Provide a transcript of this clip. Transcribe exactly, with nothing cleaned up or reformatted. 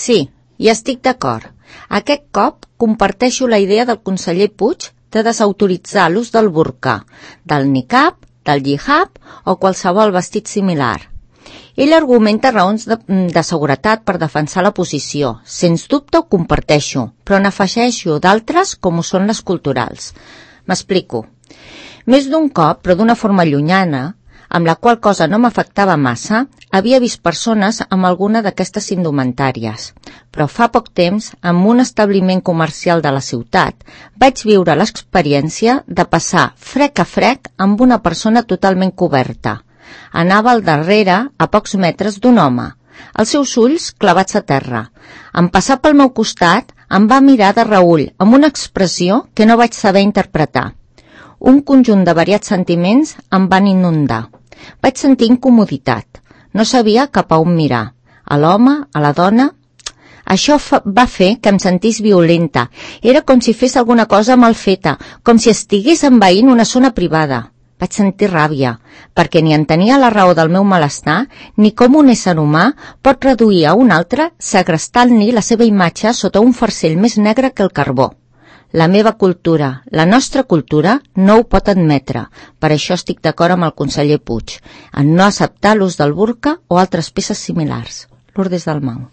Sí, hi estic d'acord. Aquest cop comparteixo la idea del conseller Puig de desautoritzar l'ús del burca, del niqab, del hijab o qualsevol vestit similar. Ell argumenta raons de, de seguretat per defensar la posició. Sens dubte ho comparteixo, però n'afegeixo d'altres com ho són les culturals. M'explico. Més d'un cop, però d'una forma llunyana, amb la qual cosa no m'afectava massa, havia vist persones amb alguna d'aquestes indumentàries. Però fa poc temps, en un establiment comercial de la ciutat, vaig viure l'experiència de passar frec a frec amb una persona totalment coberta. Anava al darrere, a pocs metres, d'un home, els seus ulls clavats a terra. En passar pel meu costat, em va mirar de reüll, amb una expressió que no vaig saber interpretar. Un conjunt de variats sentiments em van inundar. Vaig sentir incomoditat. No sabia cap a on mirar. A l'home, a la dona. Això va fer que em sentís violenta. Era com si fes alguna cosa mal feta, com si estigués envaint una zona privada. Vaig sentir ràbia, perquè ni entenia la raó del meu malestar, ni com un ésser humà pot reduir a un altre segrestant-li la seva imatge sota un farcell més negre que el carbó. La meva cultura, la nostra cultura, no ho pot admetre. Per això estic d'acord amb el conseller Puig, en no acceptar l'ús del burca o altres peces similars. Lourdes Dalmau.